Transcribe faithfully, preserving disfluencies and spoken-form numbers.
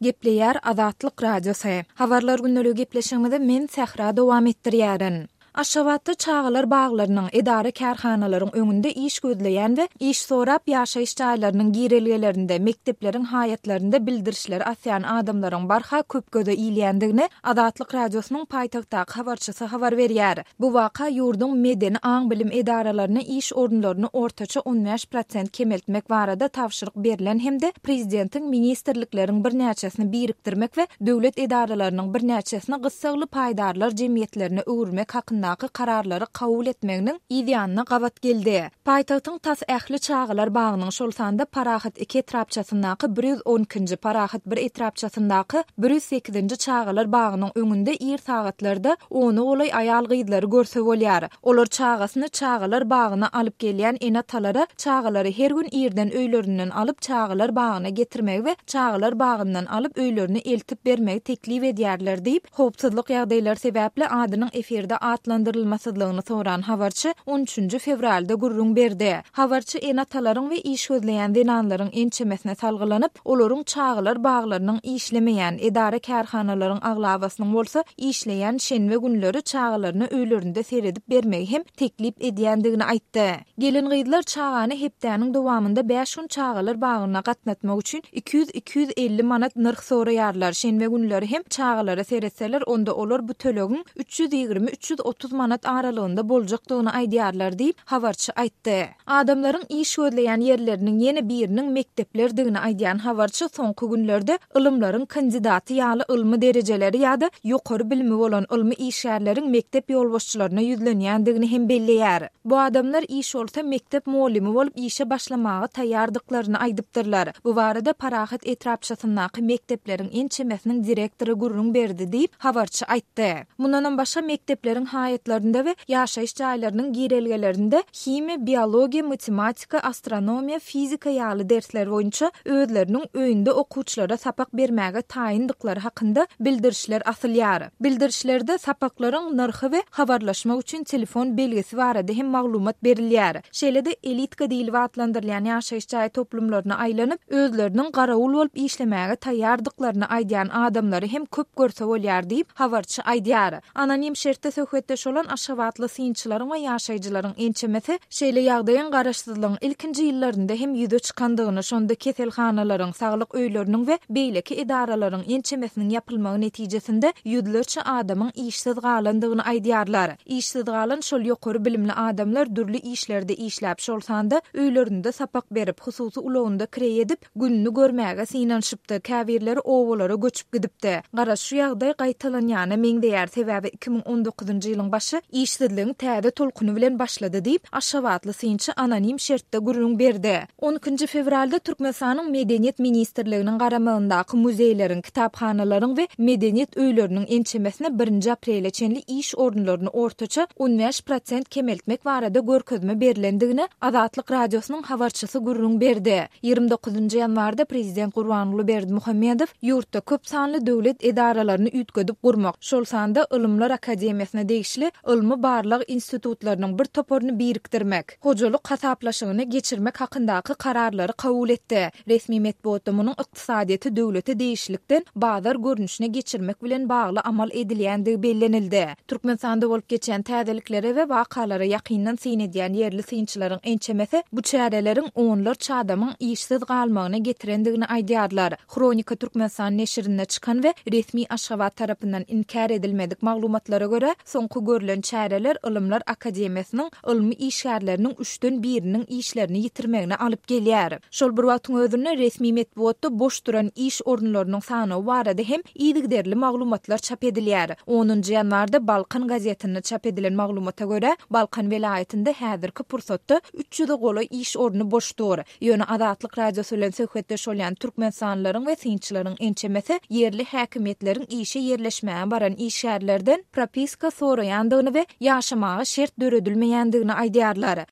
Gepleýär Azatlyk Radiosy. Habarlar gündeligi gepleşigimizi men Sähra dowam etdirýärin. Aşgabatda çagalar baglarynyň, edara-kärhanalaryň öňünde iş gözleýän we iş sorap ýaşaýyş jaýlarynyň girelgelerinde, mekdepleriň haýatlarynda bildirişleri asýan adamlaryň barha köp göze ilýändigini Azatlyk Radiosynyň paýtagtdaky habarçysy habar berýär. Bu waka ýurduň medeni aň-bilim edaralaryna iş orunlaryny ortaça on bäş prosent kemeltmek barada tabşyryk berlen hem-de prezidentiň ministrlikleriň birnäçesini birikdirmek we döwlet edaralarynyň birnäçesini gyssagly paýdarlar jemgyýetlerine öwürmek hakyndaky kararlary kabul etmeginiň yzýanyna gabat geldi. Paýtagtyň tas ähli çagalar bagynyň, şol sanda Parahat iki etrapçasyndaky bir ýüz on ikinji, Parahat bir etrapçasyndaky bir ýüz sekizinji çagalar bagynyň öňünde ir sagatlarda ona golaý aýal-gyzlary görse bolýar. Olar çagasyny çagalar bagyna alyp gelýän ene-atalara çagalary her gün irden öýlerinden alyp çagalar bagyna getirmegi we çagalar bagyndan alyp öýlerine eltip bermegi teklip edýärler diýip, howpsuzlyk ýagdaýlary sebäpli adynyň efirde atlandyrylmasyzlygyny soran habarçy on üçünji fewralda gürrüň berdi. Habarçy ene-atalaryň we iş gözleýän zenanlaryň ençemesine salgylanyp, olaryň çagalar baglarynyň işlemeýän, edara-kärhanalaryň aglabasynyň bolsa işleýän şenbe günleri çagalaryna öýlerinde seredip bermegi hem teklip edýändigini aýtdy. Gelin-gyzlar çagany hepdäniň dowamynda bäş gün çagalar bagyna gatnatmak üçin iki ýüz iki ýüz elli manat nyrh soraýarlar. Şenbe günleri hem çagalara seretseler, onda olar bu tölegiň üç ýüz ýigrimi üç ýüz otuz manat aralygynda boljakdygyny aýdýarlar diýip, habarçy aýtdy. Adamlaryň iş gözleýän ýerleriniň ýene biriniň mekdeplerdigini aýdýan habarçy soňky günlerde ylymlaryň kandidaty ýaly ylmy derejeleri ýa-da ýokary bilimi bolan ylmy işgärleriň mekdep ýolbaşçylaryna ýüzlenýändigini hem belleýär. Bu adamlar iş bolsa mekdep mugallymy bolup işe başlamaga taýýardyklaryny aýdypdyrlar. Bu barada Parahat etrapçasyndaky mekdepleriň ençemesiniň direktory gürrüň berdi diýip, habarçy aýtdy. Mundanam başga mekdepleriň haýatlarynda we ýaşaýyş jaýlarynyň girelgelerinde himiýa, biologiýa, matematika, astronomiýa, fizika ýaly dersler boýunça özleriniň öýünde okuwçylara sapak bermäge taýyndyklary hakynda bildirişler asylýar. Bildirişlerde sapaklaryň nyrhy we habarlaşmak üçin telefon belgisi barada hem maglumat berilýär. Şeýle-de elitka diýlip atlandyrylýan ýaşaýyş jaý toplumlaryna aýlanyp, özleriniň garawul bolup işlemäge taýýardyklaryny aýdýan adamlary hem köp görse bolýar diýip, habarçy aýdýar. Anonim şertde söhbetdeş bolan Aşgabatly synçylaryň we ýaşaýjylaryň ençemesi şeýle ýagdaýyň garaşsyzlygyň ilkinji ýyllarynda hem ýüze çykandygyny, şonda keselhanalaryň, saglyk öýleriniň we beýleki edaralaryň ençemesiniň ýapylmagy netijesinde ýüzlerçe adamyň işsiz galandygyny aýdýarlar. Işsiz galan şol ýokary bilimli adamlar dürli işlerde işläp, şol sanda öýlerinde sapak berip, hususy ulagynda kireý edip, gününi görmäge synanyşypdy, käbirleri obalara göçüp gidipdi. Garaş şu ýagdaý gaýtalanýana meňzeýär, sebäbi iki müň on dokuzynjy ýylyň başy işsizligiň täze tolkuny bilen başlady diýip, Aşgabatly synçy anonim şertde gürrüň berdi. On ikinji fewralda Türkmenistanyň Medeniýet ministrliginiň garamagyndaky muzeýleriň, kitaphanalaryň we medeniýet öýleriniň ençemesine birinji aprele çenli iş orunlaryny ortaça on bäş prosent kemeltmek barada görkezme berlendigini Azatlyk Radiosynyň habarçysy gürrüň berdi. Ýigrimi dokuzynjy ýanwarda prezident Gurbanguly Berdimuhamedow ýurtda köp sanly döwlet edaralaryny üýtgedip gurmak, şol sanda Ylymlar Akademiýasyna degişli ylmy barlag institutlarynyň bir toparyny birikdirmek, hojalyk hasaplaşygyny geçirmek hakyndaky kararlary kabul etdi. Resmi metbugatda munuň ykdysadyýeti döwlete degişlilikden bazar görnüşine geçirmek bilen bagly amal edilýändigi bellenildi. Türkmenistanda bolup geçen täzeliklere we wakalara ýakyndan syn edýän ýerli synçylaryň ençemesi bu çäreleriň onlarça adamyň işsiz galmagyna getirendigini aýdýarlar. Hronika Türkmenistan neşirinde çykan we resmi Aşgabat tarapyndan inkär edilmedik maglumatlara görä, soňky görülen çäreler Ylymlar Akademiýasynyň ylmy işgärleriniň üçden biriniň işlerini ýitirmegine alyp gelýär. Şol bir wagtyň özünde resmi metbugatda boş duran iş orunlarynyň sanawy barada hem yzygiderli maglumatlar çap edilýär. Onunjy ýanwarda Balkan gazetinde çap edilen maglumata görä, Balkan welaýatynda häzirki pursatda üç ýüze golaý iş orny boş dur. Ýöne Azatlyk Radiosy bilen söhbetdeş bolýan türkmenistanlylaryň we synçylaryň ençemesi ýerli häkimiýetleriň işe ýerleşmäge baran işgärlerden propiska soraýandygyny we ýaşamaga şert döredilmeýändigini aýdýarlar.